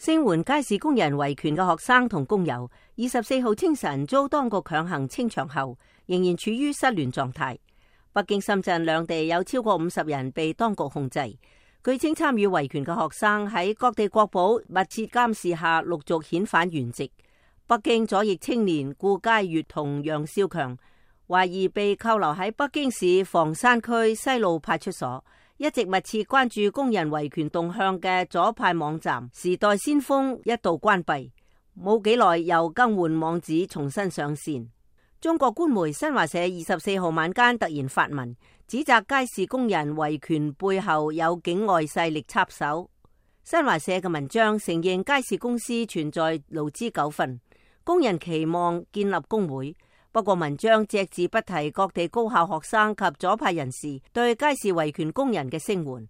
聲援街市工人維權嘅學生同工友，24號清晨遭當局強行清場後，仍然處於失聯狀態。北京、深圳兩地有超過50人被當局控制。據稱參與維權嘅學生喺各地國保密切監視下陸續遣返原籍。北京左翼青年顧佳悅同楊少強懷疑被扣留喺北京市房山區西路派出所。一直密切關注工人維權動向嘅左派網站時代先鋒一度關閉，冇幾耐又更換網址重新上線。中國官媒新華社24號晚間突然發文，指責街市工人維權背後有境外勢力插手。新華社嘅文章承認街市公司存在勞資糾紛，工人期望建立工會。不過文章隻字不提各地高校學生及左派人士對街市維權工人嘅聲援，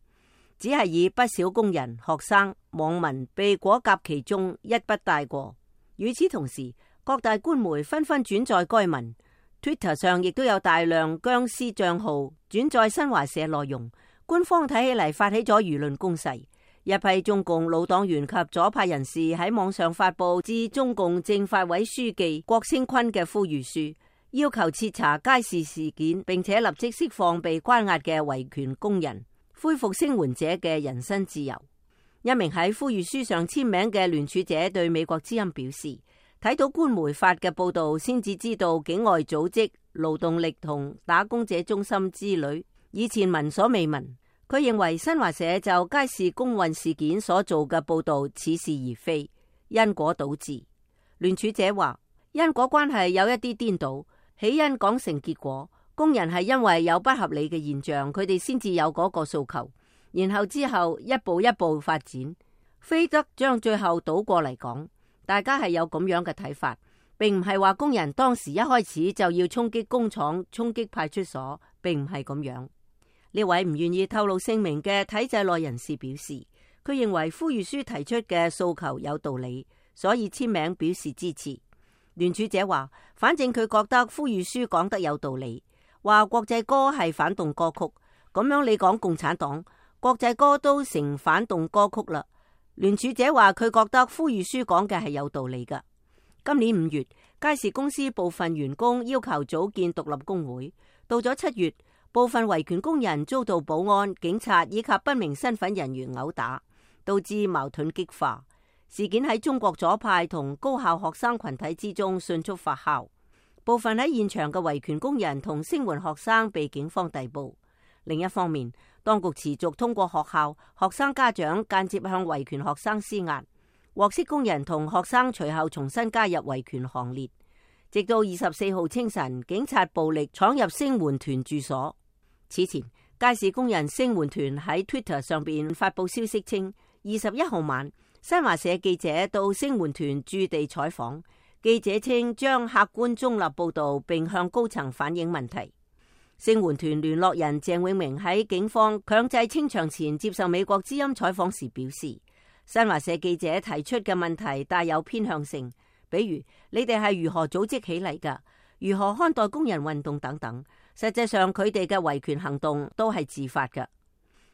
只係以不少工人、學生、網民被裹挾其中一筆帶過。與此同時，各大官媒紛紛轉載該文 ，Twitter 上亦都有大量僵屍賬號轉載新華社內容。官方睇起嚟發起咗輿論攻勢，一批中共老黨員及左派人士喺網上發佈致中共政法委書記郭聲琨嘅呼籲書，要求徹查街市事件，並且立即釋放被關押嘅維權工人，恢復聲援者嘅人身自由。一名喺呼籲書上簽名嘅聯署者對美國之音表示，睇到官媒發嘅報道，先至知道境外組織勞動力同打工者中心之類，以前聞所未聞。佢認為新華社就街市工運事件所做嘅報道似是而非，因果倒置。聯署者話，因果關係有一啲顛倒，起因講成結果，工人係因為有不合理嘅現象，佢哋先至有嗰個訴求，然後之後一步一步發展，非得將最後倒過嚟講。大家係有咁樣嘅睇法，並唔係話工人當時一開始就要衝擊工廠、衝擊派出所，並唔係咁樣。呢位唔願意透露姓名嘅體制內人士表示，佢認為呼籲書提出嘅訴求有道理，所以簽名表示支持。聯署者話，反正佢覺得呼籲書講得有道理，話國際歌係反動歌曲，咁樣你講共產黨，國際歌都成反動歌曲啦。聯署者話，佢覺得呼籲書講嘅係有道理㗎。今年5月，街市公司部分員工要求組建獨立工會，到咗7月，部分維權工人遭到保安、警察以及不明身份人員毆打，導致矛盾激化。事件喺中國左派同高校學生群體之中迅速發酵，部分喺現場嘅維權工人同聲援學生被警方逮捕。另一方面，當局持續通過學校、學生家長間接向維權學生施壓，獲釋工人同學生隨後重新加入維權行列，直到24號清晨，警察暴力闖入聲援團住所。此前，街市工人聲援團喺 Twitter 上邊發佈消息稱，21號晚，新華社記者到聲援團駐地採訪，記者稱將客觀中立報道，並向高層反映問題。聲援團聯絡人鄭永明喺警方強制清場前接受美國之音採訪時表示，新華社記者提出嘅問題帶有偏向性，比如你哋係如何組織起嚟㗎，如何看待工人運動等等。實際上佢哋嘅維權行動都係自發㗎。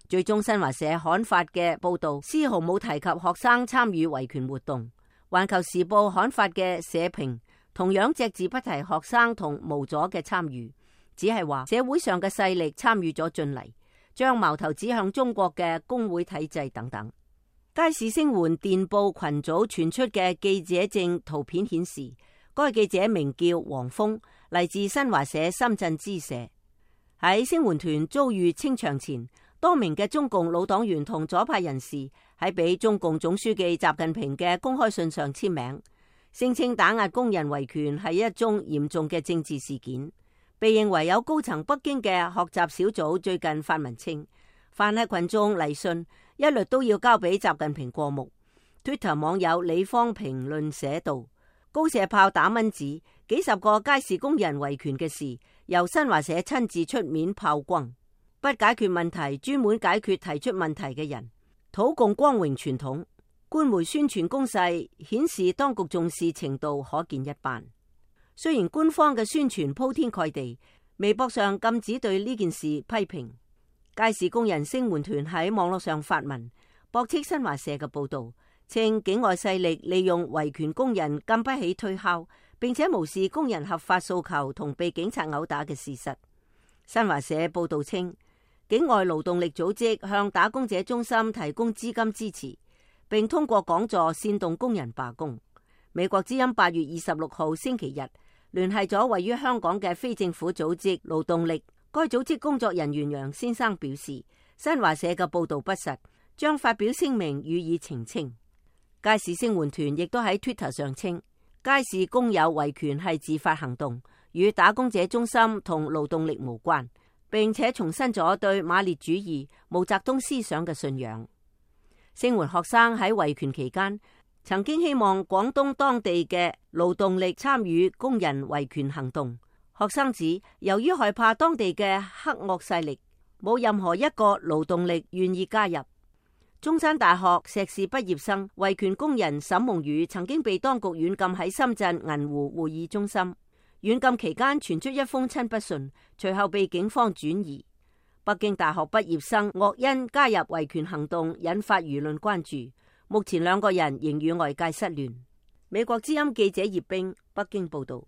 最終新華社刊發嘅報道絲毫冇提及學生參與維權活動，環球時報刊發嘅社評同樣隻字不提學生同無阻嘅參與，只係話社會上嘅勢力參與咗進嚟，將矛頭指向中國嘅工會體制等等。街市聲援電報群組傳出嘅記者證圖片顯示，該記者名叫黃峰，嚟自新華社深圳支社。喺聲援團遭遇清場前，多名嘅中共老黨員同左派人士喺俾中共總書記習近平嘅公開信上簽名，聲稱打壓工人維權係一宗嚴重嘅政治事件。被認為有高層北京嘅學習小組最近發文稱，凡係群眾嚟信，一律都要交俾習近平過目。Twitter 網友李方評論寫道，高射炮打蚊子，幾十個街市工人維權嘅事，由新華社親自出面炮轟，不解決問題，專門解決提出問題嘅人，土共光榮傳統。官媒宣傳攻勢顯示當局重視程度可見一斑。雖然官方嘅宣傳鋪天蓋地，微博上禁止對呢件事批評。街市工人聲援團喺網絡上發文，駁斥新華社嘅報道，稱境外勢力利用維權工人禁不起推敲，並且無視工人合法訴求同被警察毆打嘅事實。新華社報道稱，境外勞動力組織向打工者中心提供資金支持，並通過講座煽動工人罷工。美國之音8月26號星期日聯繫咗位於香港嘅非政府組織勞動力，該組織工作人員楊先生表示，新華社嘅報道不實，將發表聲明予以澄清。街市聲援團亦都喺 Twitter 上稱，街市工友維權係自發行動，與打工者中心同勞動力無關，並且重申咗對馬列主義、毛澤東思想嘅信仰。聲援學生喺維權期間曾經希望廣東當地嘅勞動力參與工人維權行動。學生指，由於害怕當地嘅黑惡勢力，冇任何一個勞動力願意加入。中山大學碩士畢業生維權工人沈夢雨曾經被當局軟禁喺深圳銀湖會議中心。軟禁期間傳出一封親筆信，隨後被警方轉移。北京大學畢業生岳恩加入維權行動，引發輿論關注。目前兩個人仍與外界失聯。美國之音記者葉冰北京報道。